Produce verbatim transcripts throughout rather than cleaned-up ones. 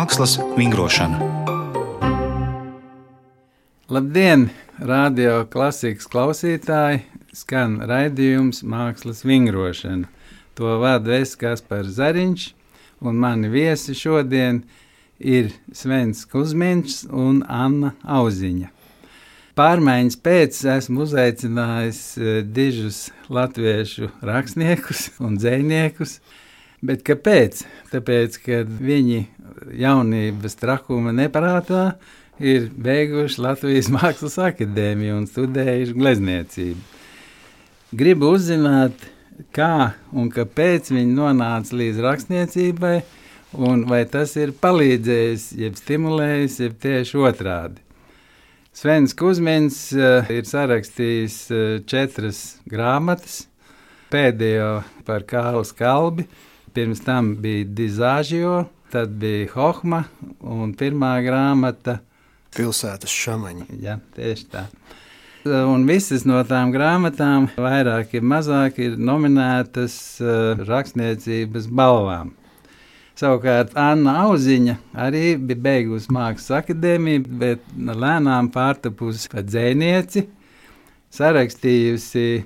Mākslas vingrošana. Labdien, radio klasikas klausītāji! Skan raidījums Mākslas vingrošana. To vada es, Kaspars Zariņš, un mani viesi šodien ir Svens Kuzmiņš un Anna Auziņa. Pārmaiņas pēc esmu uzaicinājis dižus latviešu rakstniekus un dzejniekus. Bet kāpēc? Tāpēc, ka viņi jaunības trakuma neprātā ir beiguši Latvijas Mākslas akadēmiju un studējuši glezniecību. Gribu uzzināt, kā un kāpēc viņi nonāca līdz rakstniecībai, un vai tas ir palīdzējis, jeb stimulējis, jeb tieši otrādi. Svens Kuzmiņš uh, ir sarakstījis uh, četras grāmatas, pēdējo par Kārli Skalbi, pirms tam bija Dizāžio, tad bija Hohma un pirmā grāmata Pilsētas šamaņi. Jā, tieši tā. Un visas no tām grāmatām, vairāk ir mazāk, ir nominētas uh, rakstniecības balvām. Savukārt Anna Auziņa arī bija beigusi Mākslas akadēmiju, bet lēnām pārtapusi par dzejnieci, sarakstījusi e,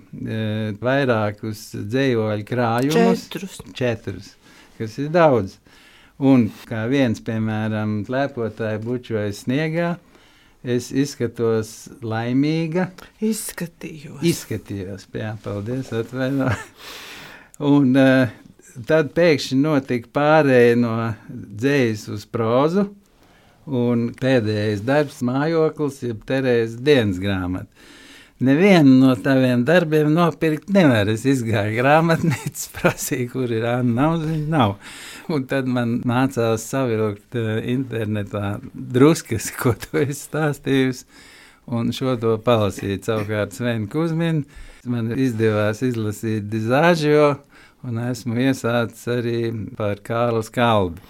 vairākus dzejoļu krājumus. Četrus. Četrus, kas ir daudz. Un kā viens, piemēram, Lēpotāji bučojas sniegā, es izskatos laimīga. Izskatījos. Izskatījos, jā, paldies, atvaino. Un uh, tad pēkšņi notika pārēja no dzejas uz prózu, un pēdējais darbs Mājoklis, jeb Terēzes dienas grāmata. Nevienu no taviem darbiem nopirkt nevar. Es izgāju grāmatnīcas, prasīju, kur ir Anna Auziņa, nav. Un tad man nācās savilkt uh, internetā druskas, ko tu esi stāstījusi, un šo to palasīt. Savukārt Svenu Kuzminu man izdevās izlasīt Dizāžio, un esmu iesācis arī par Kārli Skalbi.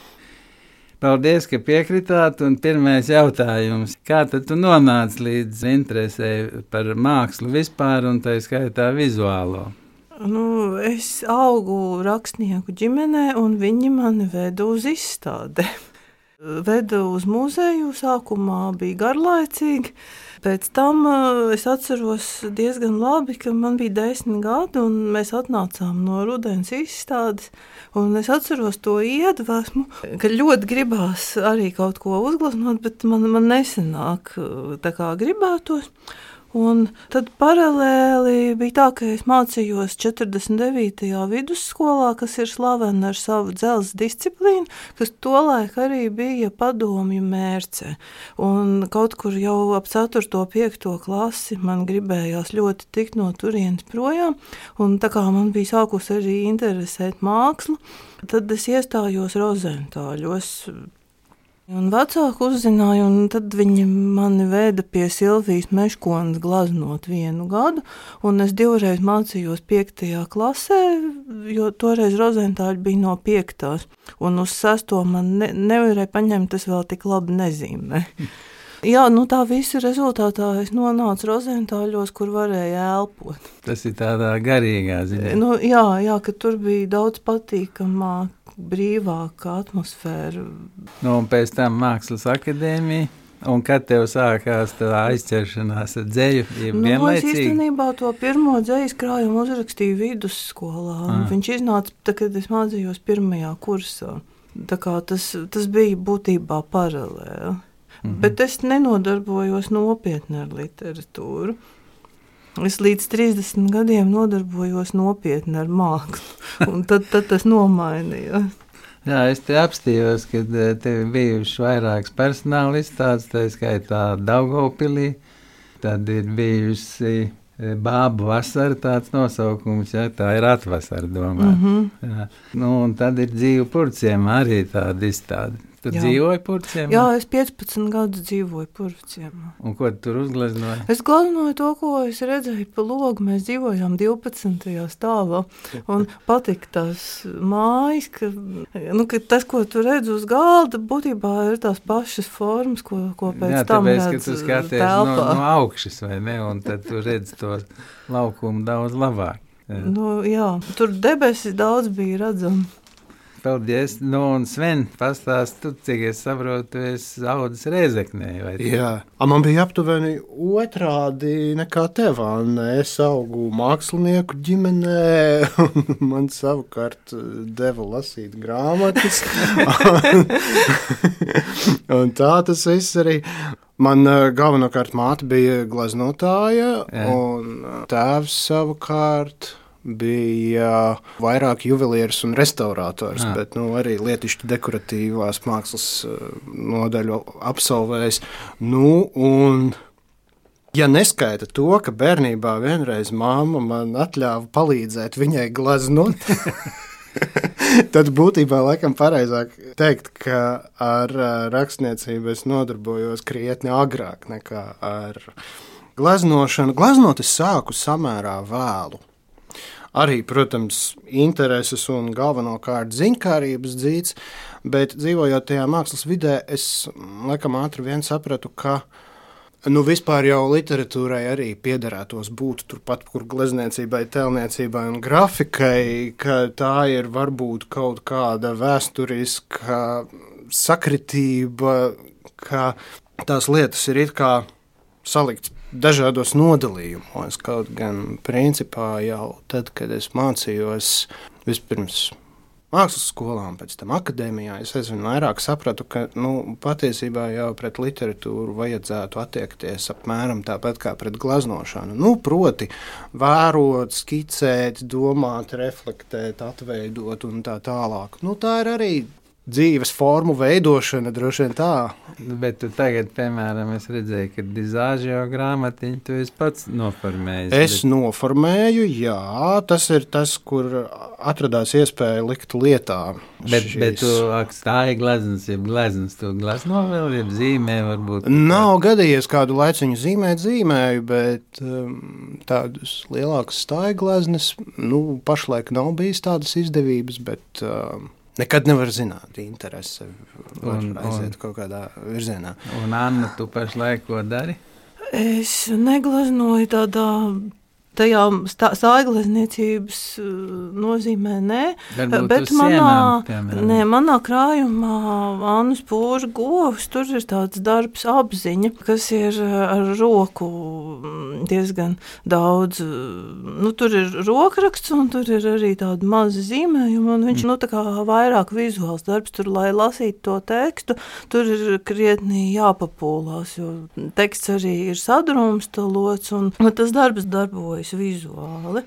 Paldies, ka piekritāt, un pirmais jautājums. Kā tad tu nonāci līdz interesē par mākslu vispār, un tā skaitā vizuālo? Nu, es augu rakstnieku ģimenē, un viņi mani veda uz izstādi. Veda uz muzeju, sākumā bija garlaicīgi. Pēc tam uh, es atceros diezgan labi, ka man bija desmit gadi, un mēs atnācām no rudens izstādes. Un es atceros to iedvesmu, ka ļoti gribās arī kaut ko uzgleznot, bet man, man nesanāk tā kā gribētos. Un tad paralēli bija tā, ka es mācījos četrdesmit devītajā vidusskolā, kas ir slavena ar savu dzelzs disciplīnu, kas tolaik arī bija padomju mērce. Un kaut kur jau ap ceturto piekto klasi man gribējās ļoti tikt no turienes projām, un tā kā man bija sākus arī interesēt mākslu, tad es iestājos Rozentāļos. Un vecāki uzzināja, un tad viņi mani veda pie Silvijas Meškonas glaznot vienu gadu, un es divreiz mācījos piektajā klasē, jo toreiz Rozentāļi bija no piektās, un uz sesto man ne, nevarēja paņemt, tas vēl tik labi nezīmē. Jā, nu tā visa rezultātā es nonācu Rozentāļos, kur varēja elpot. Tas ir tādā garīgā ziņā. Nu, jā, jā, ka tur bija daudz patīkamāk, brīvāka atmosfēra. Nu, un pēc tam Mākslas akadēmija, un kad tev sākās tā aizķeršanās ar dzeju, ir nu, vienlaicīgi? Es īstenībā to pirmo dzejas krājumu uzrakstīju vidusskolā, un ah. viņš iznāca, tā, kad es mācījos pirmajā kursā. Tā kā tas, tas bija būtībā paralēli. Mm-hmm. Bet es nenodarbojos nopietni ar literatūru. Es līdz trīsdesmit gadiem nodarbojos nopietni ar mākslu, un tad, tad tas nomainījās. Jā, es te apstījos, kad tev bijuši vairākas personāla izstādes, tā skaitā Daugavpilī, tad ir bijusi Bābu vasara tāds nosaukums, ja, tā ir atvasara domā. Mm-hmm. Jā. Nu, un tad ir Dzīvu purciem arī tāda izstāde. Tu jā. Dzīvoji Purvciemā? Jā, es piecpadsmit gadus dzīvoju Purvciemā. Un ko tu tur uzgleznoji? Es gleznoju to, ko es redzēju pa logu. Mēs dzīvojām divpadsmitajā stāvā. Un patika tās mājas, ka, nu, ka tas, ko tu redz uz galda, būtībā ir tās pašas formas, ko, ko pēc jā, tam redz telpā. Jā, tāpēc, ka tu skaties no, no augšas, vai ne? Un tad tu redz to laukumu daudz labāk. Jā. Nu, jā, tur debesis daudz bija redzami. paldies. Nu, un Sven, pastāst, tu, cik es saprotu, tu esi audzis Rēzeknē, vai tā? Jā, man bija aptuveni otrādi nekā tev, Anna. Es augu mākslinieku ģimenē, un man savukārt deva lasīt grāmatas. un, un tā tas viss arī. Man galvenokārt māte bija gleznotāja, Jā. un tēvs savukārt bija vairāk juvelieris un restaurators, ah. bet nu, arī lietišķi dekoratīvās mākslas nodaļu absolvējis. Nu, un, ja neskaita to, ka bērnībā vienreiz mamma man atļāva palīdzēt viņai gleznot, tad būtībā laikam pareizāk teikt, ka ar rakstniecību es nodarbojos krietni agrāk nekā ar gleznošanu. Gleznot es sāku samērā vēlu. Arī, protams, intereses un galvenokārt ziņkārības dzīts, bet dzīvojot tajā mākslas vidē, es laikam ātri vien sapratu, ka nu, vispār jau literatūrai arī piederētos būt turpat, kur glezniecībai, tēlniecībai un grafikai, ka tā ir varbūt kaut kāda vēsturiska sakritība, ka tās lietas ir it kā salikts dažādos nodalījumos, kaut gan principā jau tad, kad es mācījos vispirms mākslas skolā un pēc tam akadēmijā, es aizvien vairāk sapratu, ka nu, patiesībā jau pret literatūru vajadzētu attiekties apmēram tāpat kā pret gleznošanu. Nu, proti, vērot, skicēt, domāt, reflektēt, atveidot un tā tālāk. Nu, tā ir arī dzīves formu veidošana, droši vien tā. Bet tu tagad, piemēram, es redzēju, ka dizāžio grāmatiņu tu esi pats noformējis. Es bet... noformēju, jā, tas ir tas, kur atradās iespēja likt lietā. Bet, šīs... bet tu akstāji gleznas, jeb gleznas, tu glezno vēl, jeb zīmē varbūt? Nav gadījies kādu laiciņu zīmēt, zīmēju, bet um, tādus lielākas stāja gleznas, nu, pašlaik nav bijis tādas izdevības, bet... Um, Nekad nevar zināt, interese var un, aiziet un, kaut kādā virzienā. Un, Anna, tu pašlaik ko dari? Es negleznoju tādā, tajā sāglezniecības nozīmē, nē. Varbūt bet manā, sienām, nē, manā krājumā Annas Poža govs, tur ir tāds darbs apziņa, kas ir ar roku diezgan daudz, nu, tur ir rokraksts un tur ir arī tāda maza zīmējuma, un viņš, mm. nu, tā kā vairāk vizuāls darbs, tur, lai lasītu to tekstu, tur ir krietni jāpapūlās, jo teksts arī ir sadrumstalots, un, un tas darbs darbojas vizuāli.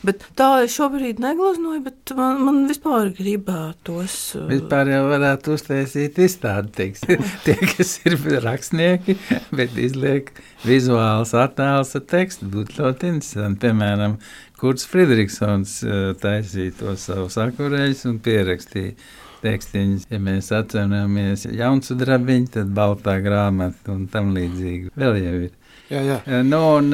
Bet tā es šobrīd negleznoju, bet man, man vispār gribētos. Vispār jau varētu uztaisīt izstādi, teiks, tie, kas ir rakstnieki, bet izliek vizuāls attēls ar tekstu, būtu ļoti interesanti. Piemēram, Kurts Fridriksons taisīja to savus akurēļus un pierakstīja tekstiņus. Ja mēs atceramies Jaunsudrabiņu, tad baltā grāmata un tam līdzīgi vēl jau ir. Jā, jā. Nu, un,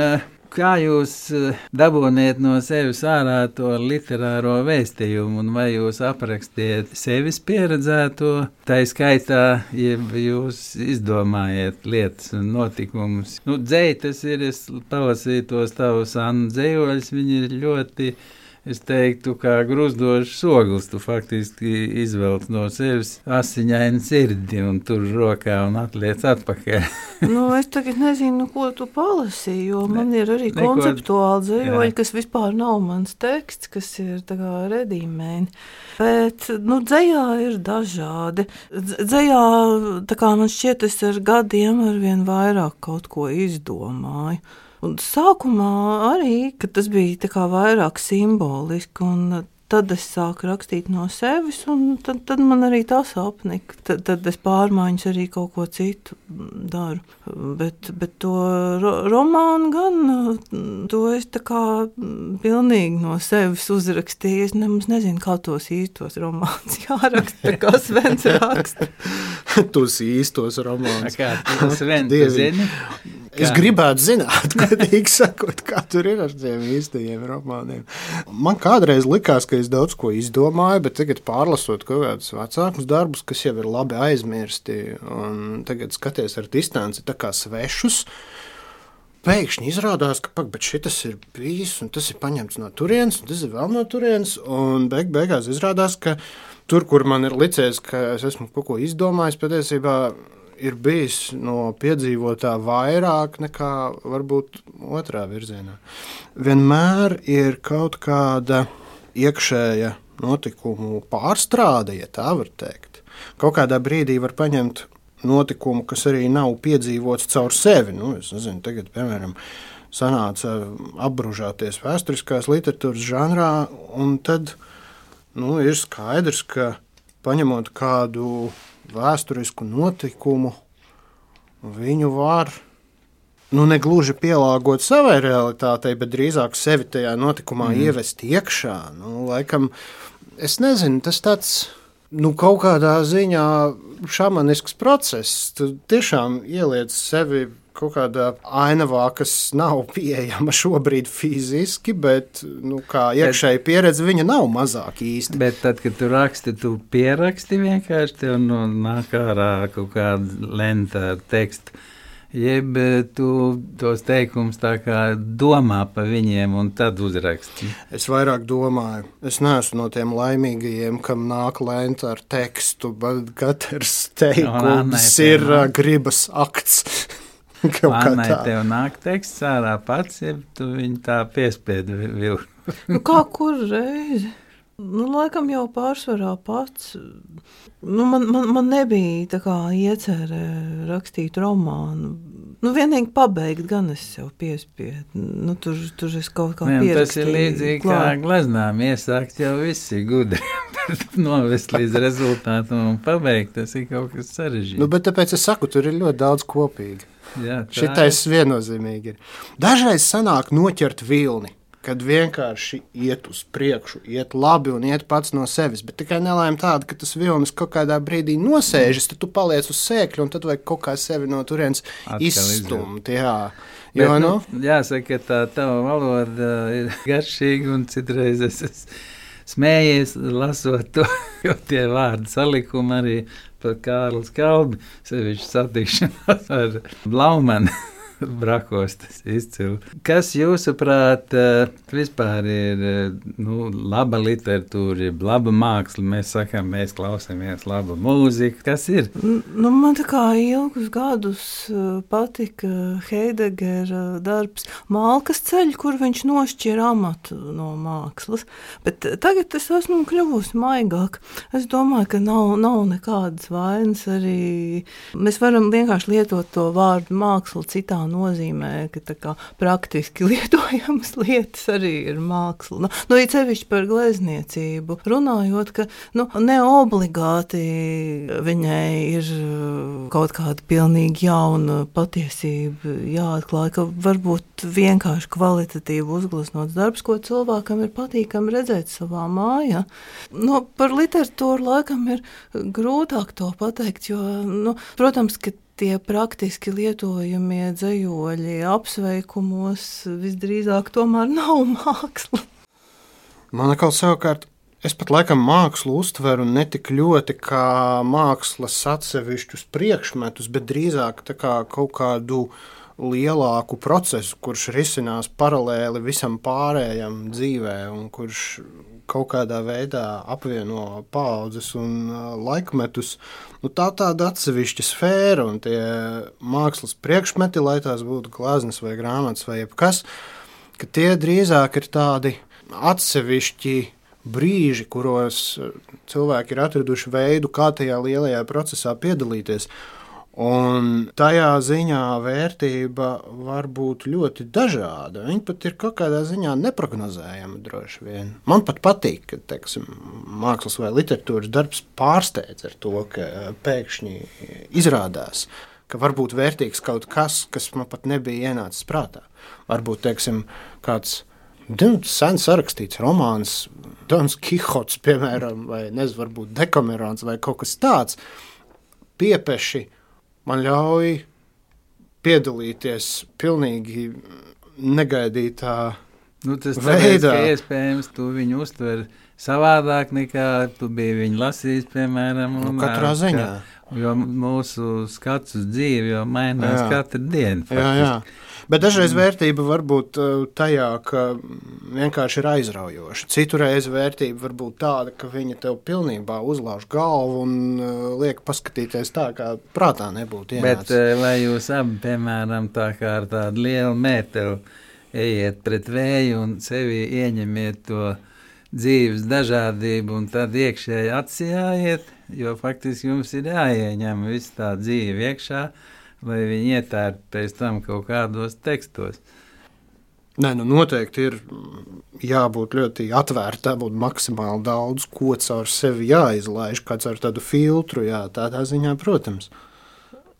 kā jūs dabūniet no sevis ārā to literāro vēstījumu, un vai jūs aprakstiet sevis pieredzēto, tā skaitā, ja jūs izdomājiet lietas un notikumus? Nu, dzēj, tas ir, es palasīju tos tavus Annu dzējoļus, viņi ir ļoti, es teiktu, kā gruzdošs ogles, tu faktiski izvelc no sevis asiņainu sirdi un tur rokā un atliec atpakaļ. Nu, es tagad nezinu, ko tu palasīji, jo ne, man ir arī neko, konceptuāli dzējoļi, kas vispār nav mans teksts, kas ir tā kā redīmēni. Bet, nu, dzējā ir dažādi. Dzējā, tā kā man šķiet, es ar gadiem arvien vairāk kaut ko izdomāju. Un sākumā arī, kad tas bija tā kā vairāk simboliski, un tad es sāku rakstīt no sevis, un tad, tad man arī tas apnika. Tad, tad es pārmaiņas arī kaut ko citu daru. Bet, bet to ro, romānu gan, to es tā kā pilnīgi no sevis uzrakstīju. Es nemaz nezinu, kā tos īstos romānus jāraksta, kā Svens raksta. Tos īstos romānus. Kā tu Sven, tu zini? Es kā? Gribētu zināt, godīgi sakot, kā tur ir ar tiem īstajiem romāniem. Man kādreiz likās, ka es daudz ko izdomāju, bet tagad pārlasot kaut kādus vecākus darbus, kas jau ir labi aizmirsti, un tagad skaties ar distanci tā kā svešus, pēkšņi izrādās, ka pak, bet šitas ir bijis, un tas ir paņemts no turienes, un tas ir vēl no turienes, un beig, beigās izrādās, ka tur, kur man ir licies, ka es esmu kaut ko izdomājis, patiesībā ir bijis no piedzīvotā vairāk nekā varbūt otrā virzienā. Vienmēr ir kaut kāda iekšēja notikumu pārstrāde, ja tā var teikt. Kaut kādā brīdī var paņemt notikumu, kas arī nav piedzīvots caur sevi. Nu, es nezinu, tagad, piemēram, sanāca apbružāties vēsturiskās literatūras žanrā, un tad nu, ir skaidrs, ka paņemot kādu vēsturisku notikumu, viņu var nu, negluži pielāgot savai realitātei, bet drīzāk sevi tajā notikumā mm. ievest iekšā. Nu, laikam, es nezinu, tas tāds nu, kaut kādā ziņā šamanisks process. Tu tiešām ieliec sevi kaut kādā ainavā, kas nav pieejama šobrīd fiziski, bet nu, kā iekšēji pieredze viņa nav mazāk īsti. Bet tad, kad tu raksti, tu pieraksti vienkārši, tev nu, nāk ārā kaut kāda lenta ar tekstu. Jeb tu tos teikumus tā kā domā pa viņiem un tad uzraksti? Es vairāk domāju. Es neesmu no tiem laimīgajiem, kam nāk lenta ar tekstu, bet katrs teikums no, ir uh, gribas akts. Annai, tev nāk teksts ārā pats, ja tu viņu tā piespiedi vilku. Nu, kā kur reizi? Nu, laikam jau pārsvarā pats. Nu, man, man, man nebija tā kā iecerē rakstīt romānu. Nu, vienīgi pabeigt, gan es sev piespiedu. Nu, tur, tur es kaut kā pierakstīju. Tas ir līdzīgi klāt. Kā gleznām iesākt jau visi gudri. Novest līdz rezultātam un pabeigt, tas ir kaut kas sarežģīts. Nu, bet tāpēc es saku, tur ir ļoti daudz kopīgi. Jā, šitais viennozīmīgi ir. Dažreiz sanāk noķert vilni, kad vienkārši iet uz priekšu, iet labi un iet pats no sevis, bet tikai nelaime tāda, ka tas vilnis kaut kādā brīdī nosēžas, tad tu paliec uz sēkļu un tad vajag kaut kā sevi no turienes izstumt. Jā. Bet, jo, nu, nu, jāsaka, ka tā tava valoda ir garšīga un citreiz es esmu smējies lasot to, jo tie vārdi salikumi arī par Kārlis Kalbi, sevišķi satikšanās ar Blaumani. Brakos tas izcili. Kas jūsuprāt vispār ir nu, laba literatūra, laba māksla? Mēs sakām, mēs klausāmies laba mūzika. Kas ir? Nu, man tā kā ilgus gadus patika Heidegera darbs Malkas ceļš, kur viņš nošķir amatu no mākslas. Bet tagad es esmu kļuvusi maigāk. Es domāju, ka nav, nav nekādas vainas arī. Mēs varam vienkārši lietot to vārdu māksla citā nozīmē, ka tā kā praktiski lietojamas lietas arī ir māksla. Nu, nu it sevišķi par glezniecību runājot, ka nu, neobligāti viņai ir kaut kāda pilnīgi jauna patiesība jāatklāj, ka varbūt vienkārši kvalitatīvi uzgleznots darbs, ko cilvēkam ir patīkami redzēt savā mājā. Nu, par literatūru laikam ir grūtāk to pateikt, jo, nu, protams, ka tie praktiski lietojamie dzejoļi apsveikumos visdrīzāk tomēr nav māksla. Man atkal savukārt, es pat laikam mākslu uztveru ne tik ļoti kā mākslas atsevišķus priekšmetus, bet drīzāk tā kā kaut kādu lielāku procesu, kurš risinās paralēli visam pārējam dzīvē un kurš kaut kādā veidā apvieno paaudzes un laikmetus. Nu, tā tāda atsevišķa sfēra un tie mākslas priekšmeti, lai tās būtu gleznas vai grāmatas vai jebkas, ka tie drīzāk ir tādi atsevišķi brīži, kuros cilvēki ir atraduši veidu, kā tajā lielajā procesā piedalīties. Un tajā ziņā vērtība var būt ļoti dažāda. Viņa pat ir kaut kādā ziņā neprognozējama droši vien. Man pat patīk, ka teiksim, mākslas vai literatūras darbs pārsteidz ar to, ka pēkšņi izrādās, ka var būt vērtīgs kaut kas, kas man pat nebija ienācis prātā. Varbūt, teiksim, kāds sen sarakstīts romāns, Dons Kihots, piemēram, vai nezinu, varbūt Dekamerons vai kaut kas tāds, piepeši man ļauj piedalīties pilnīgi negaidītā Nu, tas tāpēc, ka iespējams tu viņu uztver savādāk nekā tu biji viņu lasījis, piemēram. Nu, katrā ziņā. Ka, jo mūsu skats uz dzīvi jau mainās jā. Katru dienu. Faktiski. Jā, jā. Bet dažreiz vērtība var būt tajā, ka vienkārši ir aizraujoša. Citurreiz vērtība var būt tāda, ka viņa tev pilnībā uzlauž galvu un liek paskatīties tā, kā prātā nebūtu ienācis. Bet vai jūs abi, piemēram, tā kā ar tādu lielu mēteli ejiet pret vēju un sevi ieņemiet to dzīves dažādību un tad iekšēji atsijājiet, jo faktiski jums ir jāieņem visu tā dzīve iekšā, lai viņi ietērp pēc tam kaut kādos tekstos. Nē, nu noteikti ir jābūt ļoti atvērta, jābūt maksimāli daudz, ko caur sevi jāizlaiž, kā caur tādu filtru, jā, tādā ziņā, protams.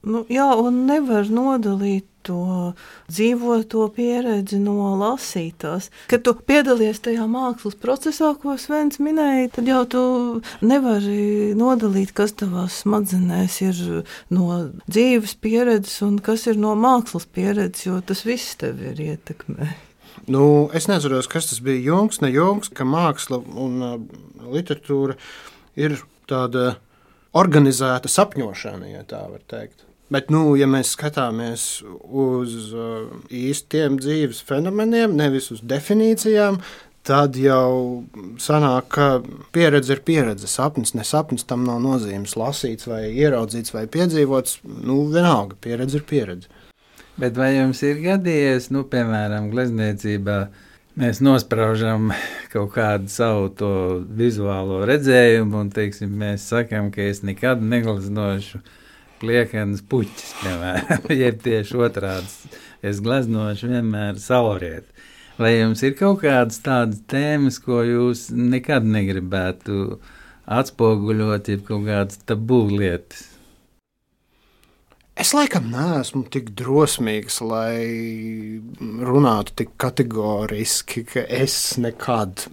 Nu, jā, un nevar nodalīt to dzīvoto pieredzi no lasītās. Kad tu piedalies tajā mākslas procesā, ko Svens minēja, tad jau tu nevari nodalīt, kas tavās smadzenēs ir no dzīves pieredzes un kas ir no mākslas pieredzes, jo tas viss tevi ir ietekmē. Nu, es neatceros, kas tas bija Jungs, ne Jungs, ka māksla un uh, literatūra ir tāda organizēta sapņošana, ja tā var teikt. Bet, nu, ja mēs skatāmies uz uh, īstiem dzīves fenomeniem, nevis uz definīcijām, tad jau sanāk, ka pieredze ir pieredze, sapnis, ne sapnis, tam nav nozīmes lasīts vai ieraudzīts vai piedzīvots, nu, vienalga, pieredze ir pieredze. Bet vai jums ir gadījies, nu, piemēram, glezniecībā, mēs nospraužam kaut kādu savu to vizuālo redzējumu un, teiksim, mēs sakam, ka es nekad negleznošu liekanas puķis, piemēram, jeb tieši otrāds. Es gleznošu vienmēr saulrieti. Vai jums ir kaut kādas tādas tēmas, ko jūs nekad negribētu atspoguļot, jeb kaut kādas tabū lietas? Es laikam neesmu tik drosmīgs, lai runātu tik kategoriski, ka es nekad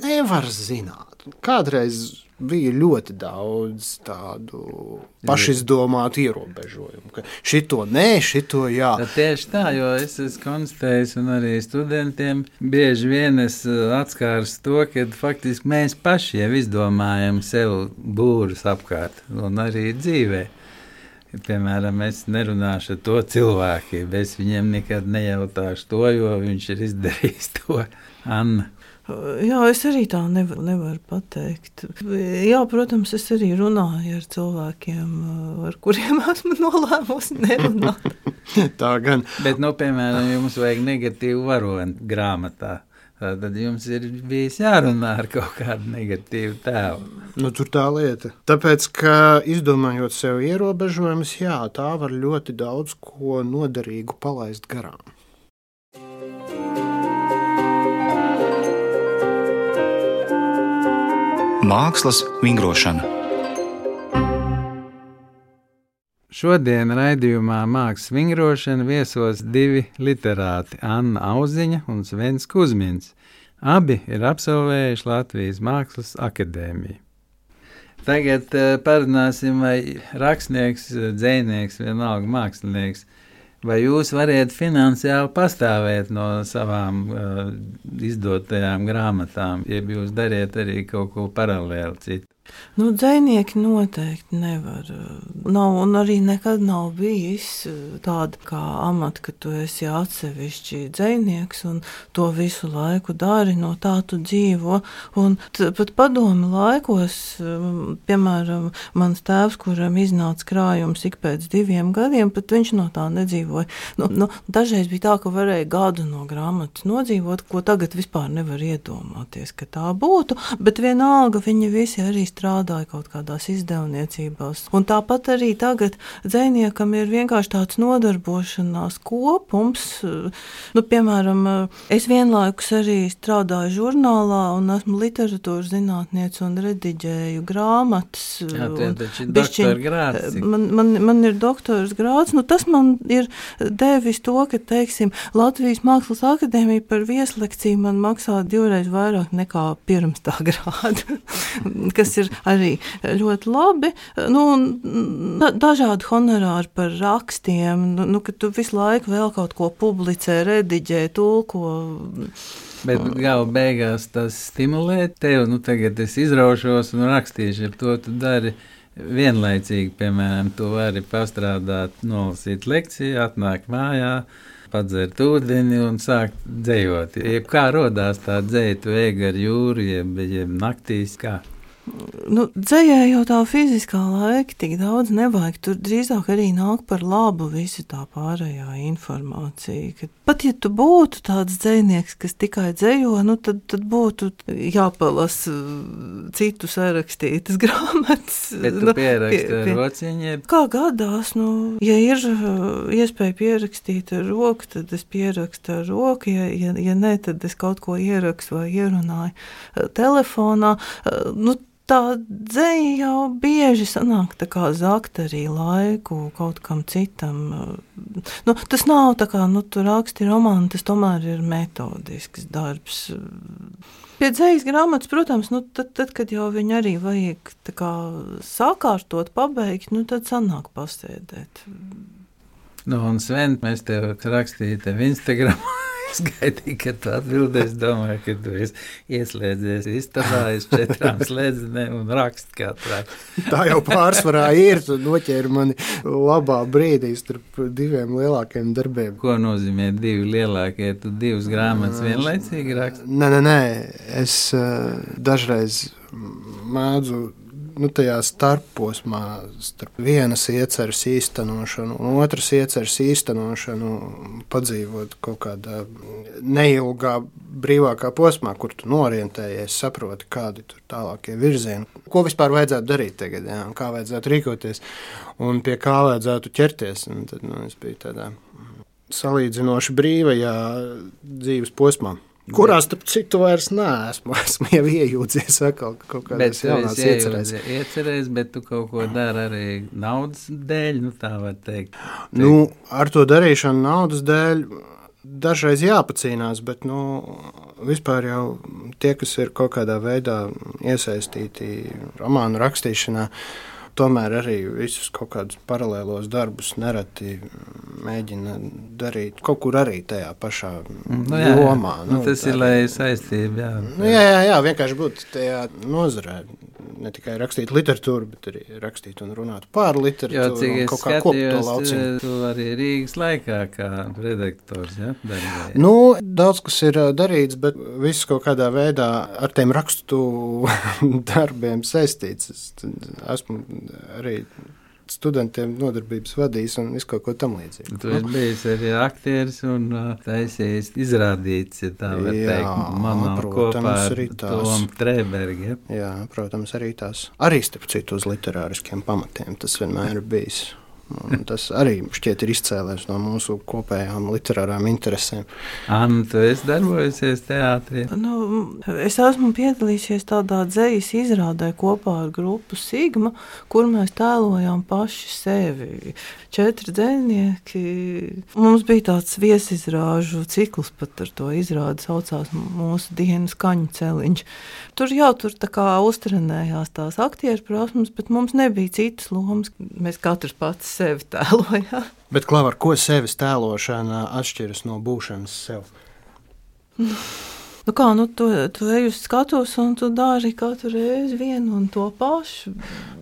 nevaru zināt. Kādreiz bija ļoti daudz tādu pašizdomātu ierobežojumu, ka šito nē, šito jā. Tā tieši tā, jo es esmu konstatējis un arī studentiem bieži vien es atskārs to, ka faktiski mēs paši jau izdomājam sev būrus apkārt un arī dzīvē. Piemēram, es nerunāšu ar to cilvēku, es viņiem nekad nejautāšu to, jo viņš ir izdarījis to. Anna. Jā, es arī tā nevaru, nevaru pateikt. Jā, protams, es arī runāju ar cilvēkiem, ar kuriem esmu nolēmusi nerunāt. Tā gan. Bet, nu, piemēram, jums vajag negatīvu varoni grāmatā. Tad jums ir bijis jārunā ar kaut kādu negatīvu tēlu. Nu, tur tā lieta. Tāpēc, ka izdomājot sev ierobežojumus, jā, tā var ļoti daudz ko noderīgu palaist garām. Mākslas vingrošana. Šodien raidījumā Mākslas vingrošana viesos divi literāti – Anna Auziņa un Svens Kuzmins. Abi ir absolvējuši Latvijas Mākslas akadēmiju. Tagad uh, parunāsim, vai rakstnieks, dzejnieks, vienalga mākslinieks, vai jūs variet finansiāli pastāvēt no savām uh, izdotajām grāmatām, ja jūs dariet arī kaut ko paralēli citu? Nu, dzejnieki noteikti nevar. Nav, un arī nekad nav bijis tāda kā amata, ka tu esi atsevišķi dzejnieks un to visu laiku dari, no tā tu dzīvo. Un t, pat padomi laikos, piemēram, mans tēvs, kuram iznāca krājums ik pēc diviem gadiem, pat viņš no tā nedzīvoja. Nu, nu, dažreiz bija tā, ka varēja gadu no grāmatas nodzīvot, ko tagad vispār nevar iedomāties, ka tā būtu, bet vienalga viņi visi arī strādāja kaut kādās izdevniecībās. Un tāpat arī tagad dzejniekam ir vienkārši tāds nodarbošanās kopums. Nu, piemēram, es vienlaikus arī strādāju žurnālā un esmu literatūras zinātniece un rediģēju grāmatas. Jā, taču ir doktora grāds. Man, man, man ir doktoras grāds. Nu, tas man ir devis to, ka, teiksim, Latvijas Mākslas akadēmija par vieslekciju man maksā divreiz vairāk nekā pirms tā grāda, kas ir ir arī ļoti labi. Nu, da, dažādi honorāri par rakstiem, nu, nu, ka tu visu laiku vēl kaut ko publicē, rediģē, tulko. Bet gala beigās tas stimulē tevi, nu tagad es izraušos un rakstīšu, ar to tu dari vienlaicīgi, piemēram, tu vari pastrādāt, nolasīt lekciju, atnāk mājā, padzert ūdeni un sākt dzejot. Jeb kā rodās tā dzeja, tu ej gar jūru, jeb, jeb naktīs, kā? Nu, dzejai jau tā fiziskā laika tik daudz nevajag. Tur drīzāk arī nāk par labu visa tā pārējā informācija. Kad pat ja tu būtu tāds dzejnieks, kas tikai dzejo, nu, tad, tad būtu jāpalas citu sarakstītas grāmatas. Bet tu nu, pieraksti pie, ar pie, rociņiem? Kā gadās, nu, ja ir iespēja pierakstīt ar roku, tad es pierakstu ar roku, ja, ja, ja ne, tad es kaut ko ierakstu vai ierunāju telefonā. Nu, tā dzeja jau bieži sanāk tā kā zakt arī laiku kaut kam citam. Nu, tas nav tā kā, nu, tu raksti romānu, tas tomēr ir metodisks darbs. Pie dzejas grāmatas, protams, nu, tad, tad, kad jau viņu arī vajag tā kā sakārtot, pabeigt, nu, tad sanāk pasēdēt. Nu, un Sven, mēs tev rakstīju tev Instagram. Es gaidīju, ka tu atbildēsi, domāju, ka tu esi ieslēdzies istabā aiz četrām slēdzenēm un raksti katrā. Tā jau pārsvarā ir, tu noķēri mani labā brīdī starp diviem lielākiem darbiem. Ko nozīmē divi lielākie? Tu divas grāmatas vienlaicīgi raksti? Nē, nē, nē, es uh, dažreiz mēdzu nu, tajā starposmā starp vienas ieceres īstenošanu un otras ieceres īstenošanu padzīvot kaut kādā neilgā, brīvākā posmā, kur tu norientējies, saproti, kādi tur tālākie virzieni. Ko vispār vajadzētu darīt tagad, jā, un kā vajadzētu rīkoties, un pie kā vajadzētu ķerties. Un tad, nu, es biju tādā salīdzinoši brīvajā dzīves posmā. Kurā, starp citu, vairs neesmu. Esmu jau iejūdzies atkal kaut kādās jaunās iecerēs. Iecerēs, bet tu kaut ko dari arī naudas dēļ, nu tā var teikt. Nu, ar to darīšanu naudas dēļ dažreiz jāpacīnās, bet, nu, vispār jau tie, kas ir kaut kādā veidā iesaistīti romānu rakstīšanā, tomēr arī visus kaut kādus paralēlos darbus nereti mēģina darīt kaut kur arī tajā pašā nu, jā, jomā. Nu, tas tā, ir, lai saistība, jā. Nu, jā, jā, jā, vienkārši būt tajā nozarē. Ne tikai rakstīt literatūru, bet arī rakstīt un runāt par literatūru. Jo, cik es kaut kā kopt to skatījos, lauciņu. tu arī Rīgas laikā kā redaktors, ja, darbojies. Nu, daudz kas ir darīts, bet viss kaut kādā veidā ar tiem rakstu darbiem saistīts. Es esmu arī studentiem nodarbības vadījis un visu kaut ko tam līdzīgi. Tu esi bijis arī aktieris un uh, taisījis izrādīts, ja tā var Jā, teikt, manā protams, kopā ar arī tās. Tomu Trēbergi. Ja? Jā, protams, arī tās. Arī starp citu uz literāriskiem pamatiem tas vienmēr ir bijis. Un tas arī šķiet ir izcēlēs no mūsu kopējām literārām interesēm. Anna, tu esi darbojusies teātrī? Nu, es esmu piedalījusies tādā dzejas izrādē kopā ar grupu Sigma, kur mēs tēlojām paši sevi. Četri dzejnieki. Mums bija tāds viesizrāžu cikls, pat ar to izrādi saucās mūsu dienas kaņu celiņš. Tur jau tur tā kā uztrenējās tās aktieru prasmes, bet mums nebija citas lomas. Mēs katrs pats sevi tēlojām. Bet, Klau, ar ko sevis tēlošana atšķiras no būšanas sev? Nu kā, nu tu, tu ej uz skatuves un tu dari katru reizi vienu un to pašu.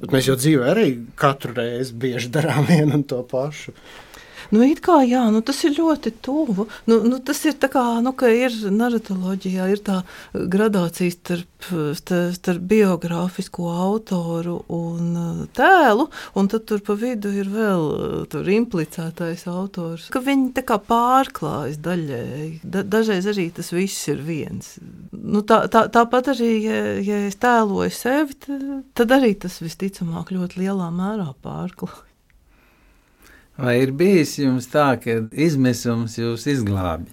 Bet mēs jau dzīvē arī katru reizi bieži darām vienu un to pašu. Nu, it kā jā, nu, tas ir ļoti tuvu. Nu, nu, tas ir tā kā, nu, ka ir naratoloģijā ir tā gradācija starp, starp biogrāfisko autoru un tēlu, un tad tur pa vidu ir vēl tur implicētais autors. Ka viņi tā kā pārklājas daļēji. Da, dažreiz arī tas viss ir viens. Nu, tā, tā, tāpat arī, ja, ja es tēloju sevi, tad, tad arī tas visticamāk ļoti lielā mērā pārklājas. Vai ir bijis jums tā, ka izmisums jūs izglābi?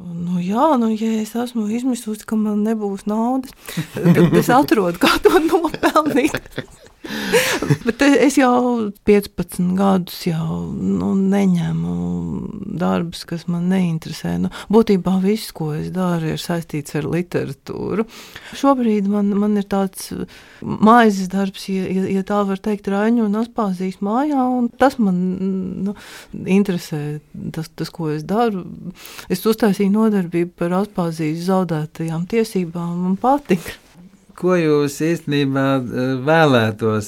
Nu jā, nu ja es esmu izmisusi, ka man nebūs naudas, tad es atrodu, kā to nopelnīt. Bet es jau piecpadsmit gadus jau nu, neņemu darbus, kas man neinteresē. Nu, būtībā viss, ko es daru, ir saistīts ar literatūru. Šobrīd man, man ir tāds maizes darbs, ja, ja tā var teikt, Raņu un Aspāzijas mājā, un tas man nu, interesē, tas, tas, ko es daru. Es uztaisīju nodarbību par Aspāzijas zaudētajām tiesībām, man patika. Ko jūs īstenībā vēlētos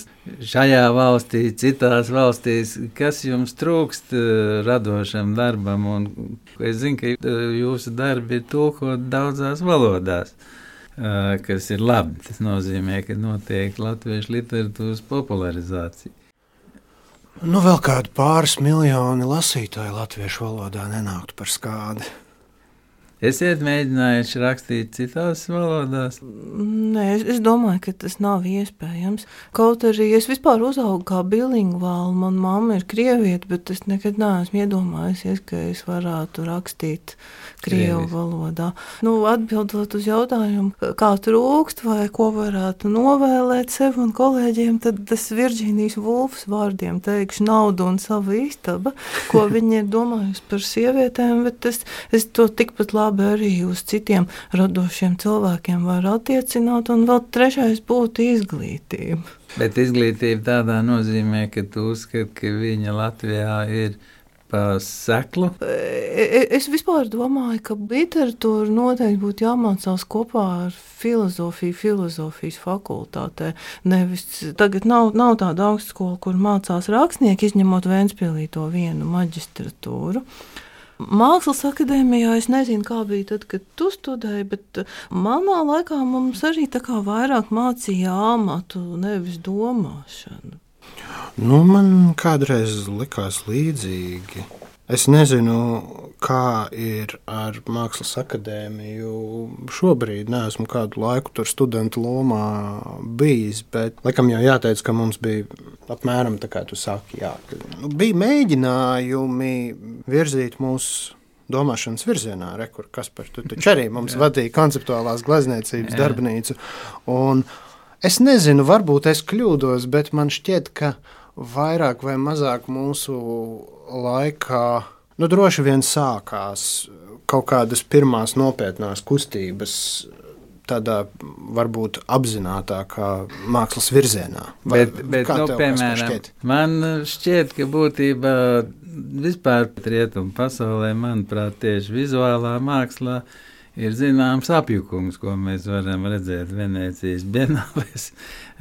šajā valstī, citās valstīs, kas jums trūkst radošam darbam? Un es zinu, ka jūsu darbi ir tulkot daudzās valodās, kas ir labi. Tas nozīmē, ka notiek latviešu literatūras popularizācija. Nu, vēl kādi pāris miljoni lasītāji latviešu valodā nenāktu par skādi. Esiet mēģinājuši rakstīt citās valodās? Nē, es, es domāju, ka tas nav iespējams. Kaut arī es vispār uzaugu kā bilingvāli. Man mamma ir krieviete, bet es nekad neesmu iedomājusies, ka es varētu rakstīt krievu Krievis. valodā. Nu, atbildot uz jautājumu, kā trūkst vai ko varētu novēlēt sev un kolēģiem, tad tas Virģīnijas Vulfas vārdiem teikšu naudu un savu istaba, ko viņi ir domājusi par sievietēm, bet es, es to tikpat labi arī uz citiem radošiem cilvēkiem var attiecināt, un vēl trešais būtu izglītība. Bet izglītība tādā nozīmē, ka tu uzskati, ka viņa Latvijā ir pa seklu? Es vispār domāju, ka literatūra noteikti būtu jāmācās kopā ar filozofiju, filozofijas fakultātē. Nevis, tagad nav, nav tāda augstskola, kur mācās rakstnieki, izņemot Ventspilī to vienu maģistratūru. Mākslas akadēmijā es nezinu, kā bija tad, kad tu studēji, bet manā laikā mums arī tā kā vairāk mācīja amatu, nevis domāšanu. Nu, man kādreiz likās līdzīgi. Es nezinu, kā ir ar Mākslas akadēmiju šobrīd. Neesmu kādu laiku tur studentu lomā bijis, bet laikam jau jāteic, ka mums bija apmēram tā kā tu saki, jā. Nu, bija mēģinājumi virzīt mūsu domāšanas virzienā, rekur, Kaspar, tu taču arī mums vadīja konceptuālās glezniecības darbnīcu. Un es nezinu, varbūt es kļūdos, bet man šķiet, ka vairāk vai mazāk mūsu laikā, nu droši vien sākās kaut kādas pirmās nopietnās kustības tādā varbūt apzinātākā mākslas virzienā. Vai, bet, bet nu, piemēram, šķiet? Man šķiet, ka būtībā vispār rietumu pasaulē, manuprāt, tieši vizuālā mākslā ir zināms apjukums, ko mēs varam redzēt Venēcijas bienālēs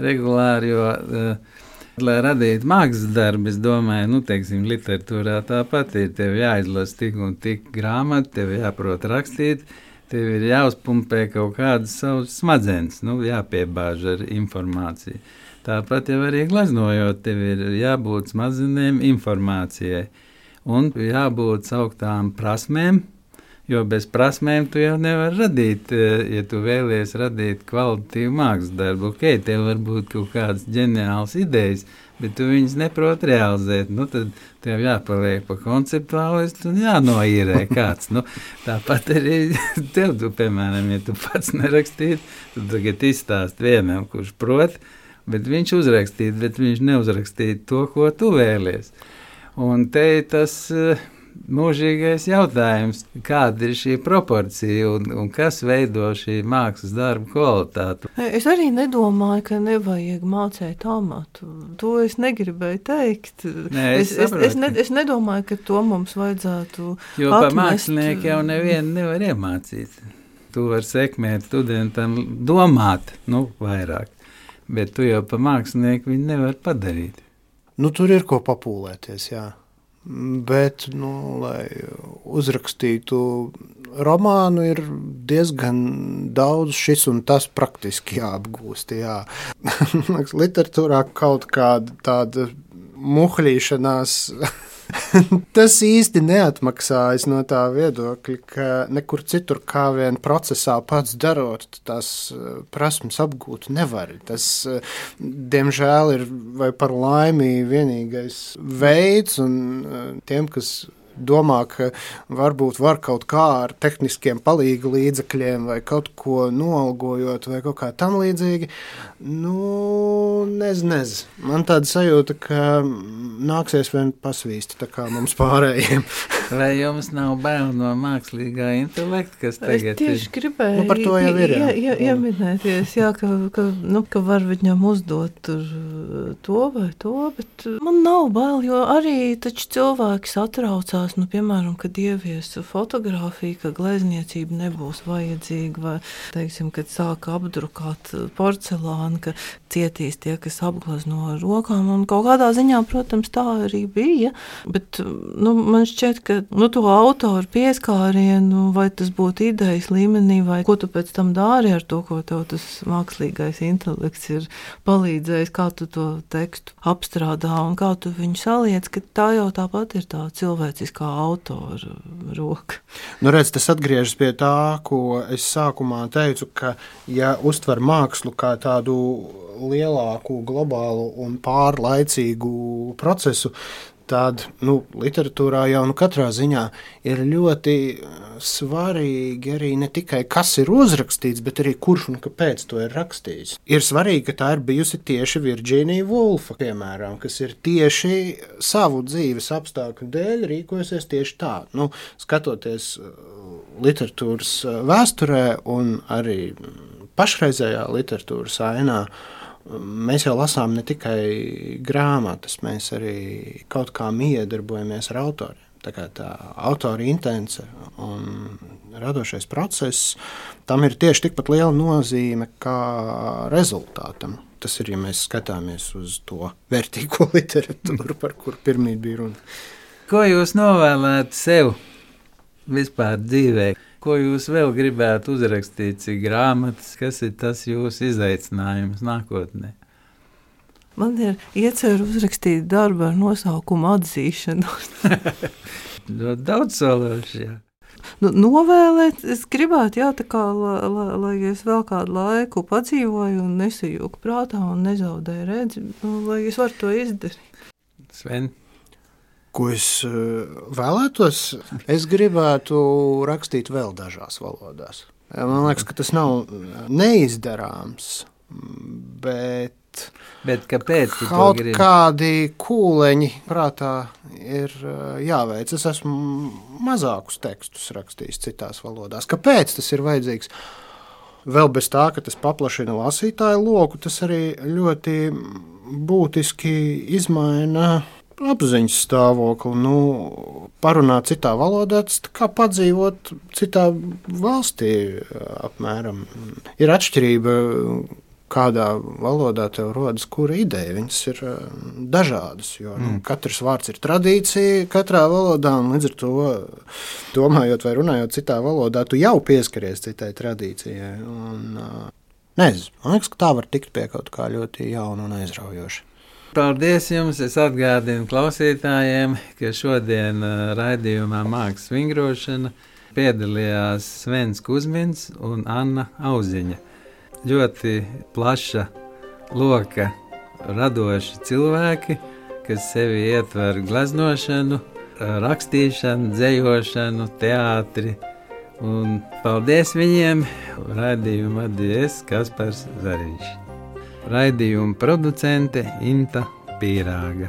regulāri, jo uh, lai radītu mākslas darbu, es domāju, nu, teiksim, literatūrā tāpat ir, tev jāizlasa tik un tik grāmatu, tev jāprot rakstīt, tev ir jāuzpumpē kaut kādas savas smadzenes, nu, jāpiebāž ar informāciju. Tāpat jau arī gleznojot, tev ir jābūt smadzenēm informācijai un jābūt sauktām prasmēm, jo bez prasmēm tu jau nevar radīt, ja tu vēlies radīt kvalitatīvu mākslas darbu. Ok, tev var būt kaut kādas ģeniālas idejas, bet tu viņas neprot realizēt. Nu, tad tev jāpaliek pa konceptuālistu un jānoīrē kāds. Nu, tāpat arī tev, tu, piemēram, ja tu pats nerakstītu, tad tagad izstāst vienam, kurš prot, bet viņš uzrakstītu, bet viņš neuzrakstītu to, ko tu vēlies. Un te tas mūžīgais jautājums, kāda ir šī proporcija un, un kas veido šī mākslas darba kvalitāti. Es arī nedomāju, ka nevajag mācīt amatu. To es negribēju teikt. Nē, es, es, es, es, ne, es nedomāju, ka to mums vajadzētu jo atmest. Pa mākslinieku jau nevienu nevar iemācīt. Tu var sekmēt studentam domāt, nu, vairāk, bet tu jau pa mākslinieku viņu nevar padarīt. Nu, tur ir ko papūlēties, jā. Bet, nu, lai uzrakstītu romānu, ir diezgan daudz šis un tas praktiski jāapgūst. Jā. Literatūrā kaut kāda tāda muhļīšanās, tas īsti neatmaksājas no tā viedokļa, ka nekur citur kā vien procesā pats darot, tās prasmes apgūt nevar. Tas, diemžēl, ir vai par laimi vienīgais veids, un tiem, kas domā, ka varbūt var kaut kā ar tehniskiem palīgu līdzekļiem vai kaut ko noalgojot vai kaut kā tam līdzīgi, nu, nez, nez. Man tāda sajūta, ka nāksies vien pasvīst, tā kā mums pārējiem. Vai jums nav bail no mākslīgā intelekta, kas tagad ir? Es tieši gribēju Nu, par to jau ir, jā. jā, jā, ieminēties, jā, ka, ka, nu, ka var viņam uzdot tur to vai to, bet man nav bail, jo arī taču cilvēki satraucās, nu, piemēram, kad ievies fotografiju, ka glezniecība nebūs vajadzīga, vai, teiksim, kad sāka apdrukāt porcelānu, ka cietīs tie, kas apglezno ar rokām, un kaut kādā ziņā, protams, tā arī bija, bet, nu, man šķiet, ka, nu, to autoru pieskārienu, vai tas būtu idejas līmenī, vai ko tu pēc tam dari ar to, ko tev tas mākslīgais intelekts ir palīdzējis, kā tu to tekstu apstrādā un kā tu viņu saliec, ka tā jau tāpat ir tā cilvēciskā autora roka. Nu, redz, tas atgriežas pie tā, ko es sākumā teicu, ka, ja uztver mākslu kā tādu lielāku, globālu un pārlaicīgu procesu, tad, nu, literatūrā jau nu katrā ziņā ir ļoti svarīgi arī ne tikai, kas ir uzrakstīts, bet arī kurš un kāpēc to ir rakstījis. Ir svarīgi, ka tā ir bijusi tieši Virģīnija Vulfa, piemēram, kas ir tieši savu dzīves apstākļu dēļ rīkojasies tieši tā. Nu, skatoties literatūras vēsturē un arī pašreizējā literatūras ainā, mēs jau lasām ne tikai grāmatas, mēs arī kaut kā miedarbojamies ar autoriem. Tā kā tā autora intence un radošais process, tam ir tieši tikpat liela nozīme kā rezultātam. Tas ir, ja mēs skatāmies uz to vērtīgo literatūru, par kur pirmīt bija runa. Ko jūs novēlētu sev vispār dzīvē? Ko jūs vēl gribētu uzrakstīt, cik grāmatas, kas ir tas jūsu izaicinājums nākotnē? Man ir iecer uzrakstīt darbu ar nosaukumu atzīšanos. Ļoti daudz sološi, jā. Nu, novēlēt, es gribētu, jā, tā kā, lai, lai, lai es vēl kādu laiku padzīvoju un nesajūku prātā un nezaudēju redzi, nu, lai es varu to izdarīt. Sven? Ko es vēlētos? Es gribētu rakstīt vēl dažās valodās. Man liekas, ka tas nav neizdarāms, bet, bet kāpēc tu to kaut gribi? kādi kūleņi prātā ir jāveic. Es esmu mazākus tekstus rakstījis citās valodās. Kāpēc tas ir vajadzīgs? Vēl bez tā, ka tas paplašina lasītāju loku, tas arī ļoti būtiski izmaina apziņas stāvokli, nu, parunāt citā valodā, tas tā kā padzīvot citā valstī apmēram. Ir atšķirība, kādā valodā tev rodas kura ideja, viņas ir dažādas, jo nu, mm. katrs vārds ir tradīcija katrā valodā, un līdz ar to, domājot vai runājot citā valodā, tu jau pieskaries citai tradīcijai. Un, nezinu, man liekas, ka tā var tikt pie kaut kā ļoti jauna un aizraujoša. Paldies jums! Es atgādinu klausītājiem, ka šodien raidījumā Mākslas vingrošana piedalījās Svens Kuzmins un Anna Auziņa. Ļoti plaša loka radoši cilvēki, kas sevi ietver gleznošanu, rakstīšanu, dzejošanu, teātri. Un paldies viņiem! Raidījumu vadīja Kaspars Zariņš. Raidījuma producente Inta Pīrāga.